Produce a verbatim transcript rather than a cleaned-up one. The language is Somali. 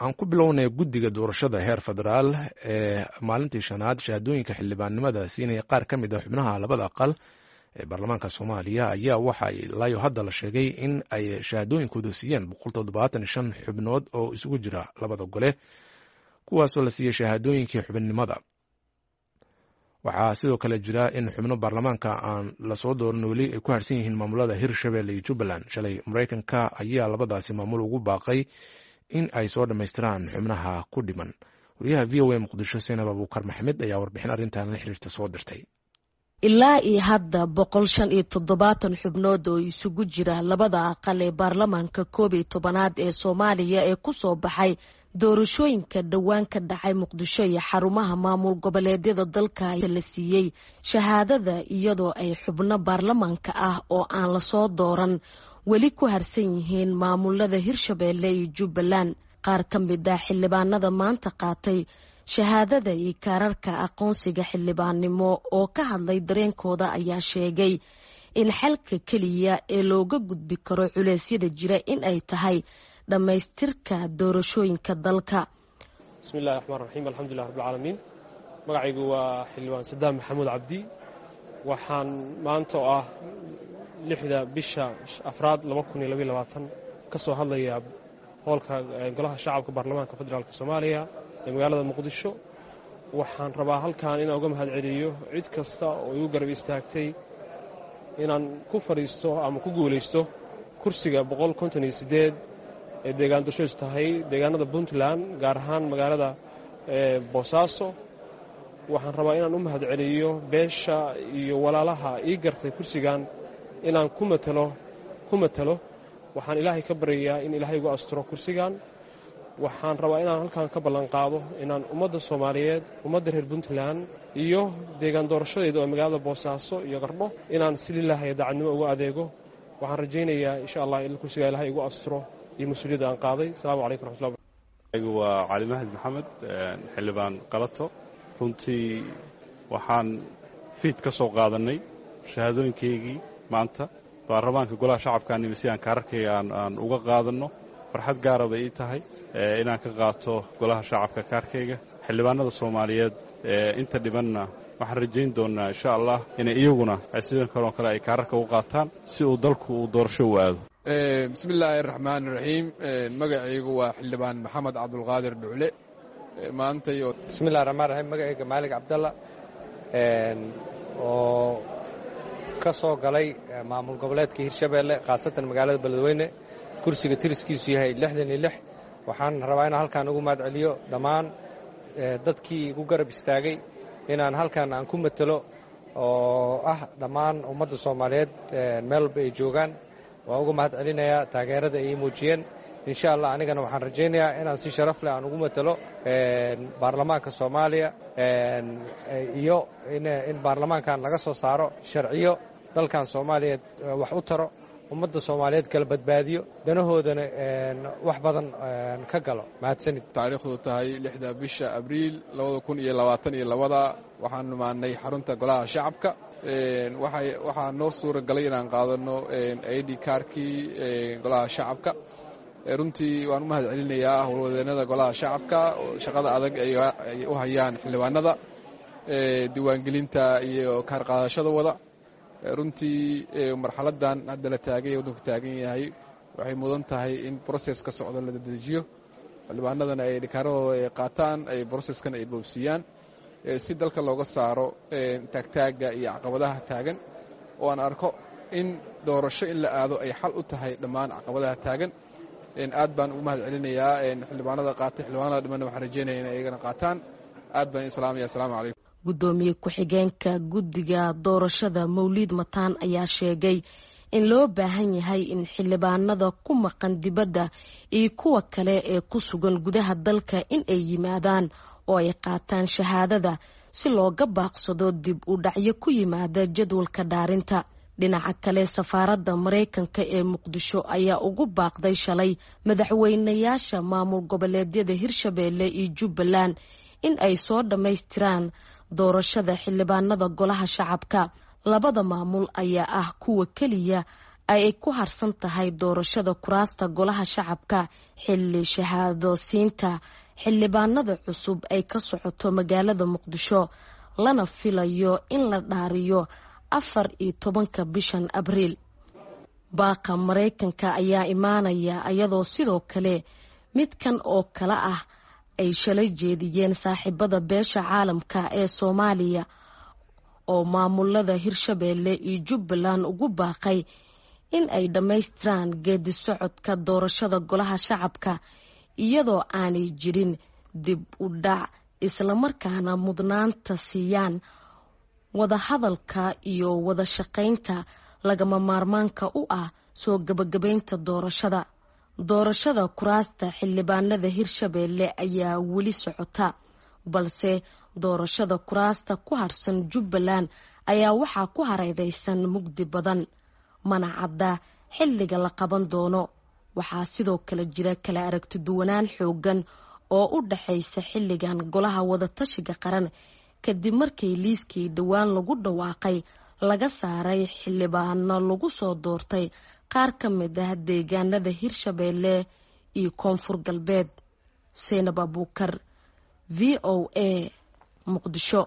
Aan ku bilownay guddiga doorashada heer federaal ee maalintii shanaad shahaadooyinka xildhibaannimada siinaya qaar ka mid ah xubnaha labada aqal ee baarlamaanka Soomaaliya ayaa waxa ilaayo hadda la sheegay in ay shahaadooyinkooda siiyeen boqol toddobaatan shan xubnood oo isugu jira labada gole, kuwaasoo la siiyey shahaadooyinkii xubinnimada. Waxaa sidoo kale jira in xubno baarlamaanka aan lasoo dooran weli ay ku harsan yihiin maamulada Hirshabelle iyo Jubbaland. Shalay Maraykanka ayaa labadaasi maamul ugu baaqay in ay soo dhammaystiraan xubnaha ku dhiman. Wariyaha V O A Muqdisho, Seenab Abuukar Maxamed, ayaa warbixin arrintan la xiriirta soo dirtay. Ilaa iyo hadda boqol shan iyo toddobaatan xubnood oo isugu jira labada aqal ee baarlamaanka koob iyo tobanaad ee Soomaaliya ee kusoo baxay doorashooyinka dhowaan ka dhacay Muqdisho iyo xarumaha maamul goboleedyada dalka la siiyey shahaadada, iyadoo ay xubno baarlamaanka ah oo aan lasoo dooran weli ku harsan yihiin maamulada Hirshabeelle iyo Jubbaland. Qaar ka mid ah xildhibaanada maanta qaatay shahaadada iyo kaararka aqoonsiga xildhibaannimo oo ka hadlay dareenkooda ayaa sheegay in xalka keliya ee looga gudbi karo culeysyada jira in ay tahay dhammaystirka doorashooyinka dalka. Bismillahi raxmaan raxiim, alxamdulilah rabbilcaalamiin. Magacaygu waa xildhibaan Sadaam Maxamuud Cabdi. Waxaan maanta oo ah lixda bisha afraad laba kun iyo labaiyo labaatan ka soo hadlayaa hoolka Golaha Shacabka Baarlamaanka Federaalk Soomaaliya ee magaalada Muqdisho. Waxaan rabaa halkan inaan uga mahad celiyo cid kasta oo igu garab istaagtay inaan ku fadhiisto ama ku guulaysto kursiga boqol konton iyo siddeed ee deegaan doorashadiisu tahay deegaanada Puntland, gaar ahaan magaalada Boosaaso. Waxaan rabaa inaan u mahad celiyo beesha iyo walaalaha ii gartay kursigan inaan ku matalo ku matalo. Waxaan Ilaahay ka baryayaa in Ilaahay igu asturo kursigan. Waxaan rabaa inaan halkan ka ballan qaado inaan ummadda Soomaaliyeed, ummadda reer Puntland iyo deegaan doorashadeeda oo magaalada Boosaaso iyo Qardho inaan si lilaahi daacadnimo ugu adeego. Waxaan rajaynayaa, insha Allah, in kursiga Ilaahay igu asturo iyo mas-uuliyadda aan qaaday. Asalaamu calaykum raxmatullah. Waa Cali Mahdi Maxamed, xildhibaan Qalato. Runtii waxaan fiid ka soo qaadannay shahaadooyinkaygii maanta baarlamaanka Golaha Shacabka nimi si aan kaararkayga aan uga qaadanno. Farxad gaara bay ii tahay inaan ka qaato Golaha Shacabka kaarkayga. Xildhibaanada Soomaaliyeed inta dhibanna waxaan rajayn doonnaa, insha Allah, inay iyaguna ay sidan kaloo kale ay kaararka u qaataan si uu dalku uu doorasho u aado. Bismi illaahi araxmaan iraxiim. Magacaygu waa xildhibaan Maxamed Cabdulqaadir Dhucle. Maantayo Bismillahi raxmaan raxiim. Magacayga Maalig Cabdalla oo ka soo galay maamul goboleedka Hirshabeelle, khaasatan magaalada Beledweyne, kursiga tiriskiisu yahay lixdan iyo lix. Waxaan rabaa inaan halkaan ugu mahad celiyo dhammaan dadkii igu garab istaagay inaan halkan aan ku matelo, oo ah dhammaan ummadda Soomaaliyeed meel walba ay joogaan. Waan uga mahad celinayaa taageerada ay ii muujiyeen. Insha Allah, anigana waxaan rajaynayaa inaan si sharaf leh aan ugu matelo baarlamaanka Soomaaliya iyo in baarlamaankan laga soo saaro sharciyo dalkan Soomaaliyeed wax u taro, ummadda Soomaaliyeed kala badbaadiyo, danahoodana wax badan ka galo. Mahadsanid. Taariikhdu tahay lixda bisha Abriil labada kun iyo labaatan iyo labada, waxaan imaanay xarunta Golaha Shacabka. Waxaa noo suura galay inaan qaadano I D kaarkii Golaha Shacabka. Runtii waan u mahad celinayaa howlwadeenada Golaha Shacabka shaqada adag ay u hayaan xildhibaanada diiwaangelinta iyo kaar qaadashada wada. Runtii marxaladan hadda la taagay, waddanku taagan yahay, waxay mudan tahay in process ka socdo la dedejiyo, xildhibaanadana ay dhikaaradooda ay qaataan, ay processkan ay boobsiiyaan si dalka looga saaro taagtaaga iyo caqabadaha taagan, oo aan arko in doorasho in la aado ay xal u tahay dhammaan caqabadaha taagan. Aad baan ugu mahad celinayaa xildhibaanada qaatay. Xildhibaanada dhimanna waxaan rajeynaya inay iyagana qaataan. Aad baan islaamaya. Asalaamu calaykum. Guddoomiye ku-xigeenka guddiga doorashada, Mawliid Mataan, ayaa sheegay in loo baahan yahay in xildhibaanada ku maqan dibadda iyo kuwa kale ee ku sugan gudaha dalka in ay yimaadaan oo ay qaataan shahaadada si looga baaqsado dib u dhacyo ku yimaada jadwalka dhaarinta. Dhinaca kale, safaaradda Maraykanka ee Muqdisho ayaa ugu baaqday shalay madaxweynayaasha maamul goboleedyada Hirshabeelle iyo Jubbaland in ay soo dhammaystiraan doorashada xildhibaanada Golaha Shacabka. Labada maamul ayaa ah kuwa keliya ay ku harsan tahay doorashada kuraasta golaha shacabka, xilli shahaado siinta xildhibaanada cusub ay ka socoto magaalada Muqdisho, lana filayo in la dhaariyo afar iyo tobanka bishan Abriil. Baaqa Maraykanka ayaa imaanaya iyadoo sidoo kale midkan oo kale ah ay shalay jeediyeen saaxiibada beesha caalamka ee Soomaaliya oo maamulada Hirshabeelle iyo Jubbaland ugu baaqay in ay dhammaystiraan geedi socodka doorashada golaha shacabka iyadoo aanay jirin dib u dhac, islamarkaana mudnaanta siiyaan wadahadalka iyo wada shaqaynta lagama maarmaanka u ah soo gabagabaynta doorashada. Doorashada kuraasta xildhibaanada Hirshabeelle ayaa weli socota, balse doorashada kuraasta ku harsan Jubbaland ayaa waxaa ku hareereysan mugdi badan, mana cadda xilliga la qaban doono. Waxaa sidoo kale jira kala aragti duwanaan xoogan oo u dhaxaysa xilligan golaha wadatashiga qaran, kadib markii liiskii dhowaan lagu dhawaaqay laga saaray xildhibaano lagu soo doortay qaar ka mid ah deegaanada Hirshabeelle iyo Koonfur Galbeed. Seynab Abuukar, V O A, Muqdisho.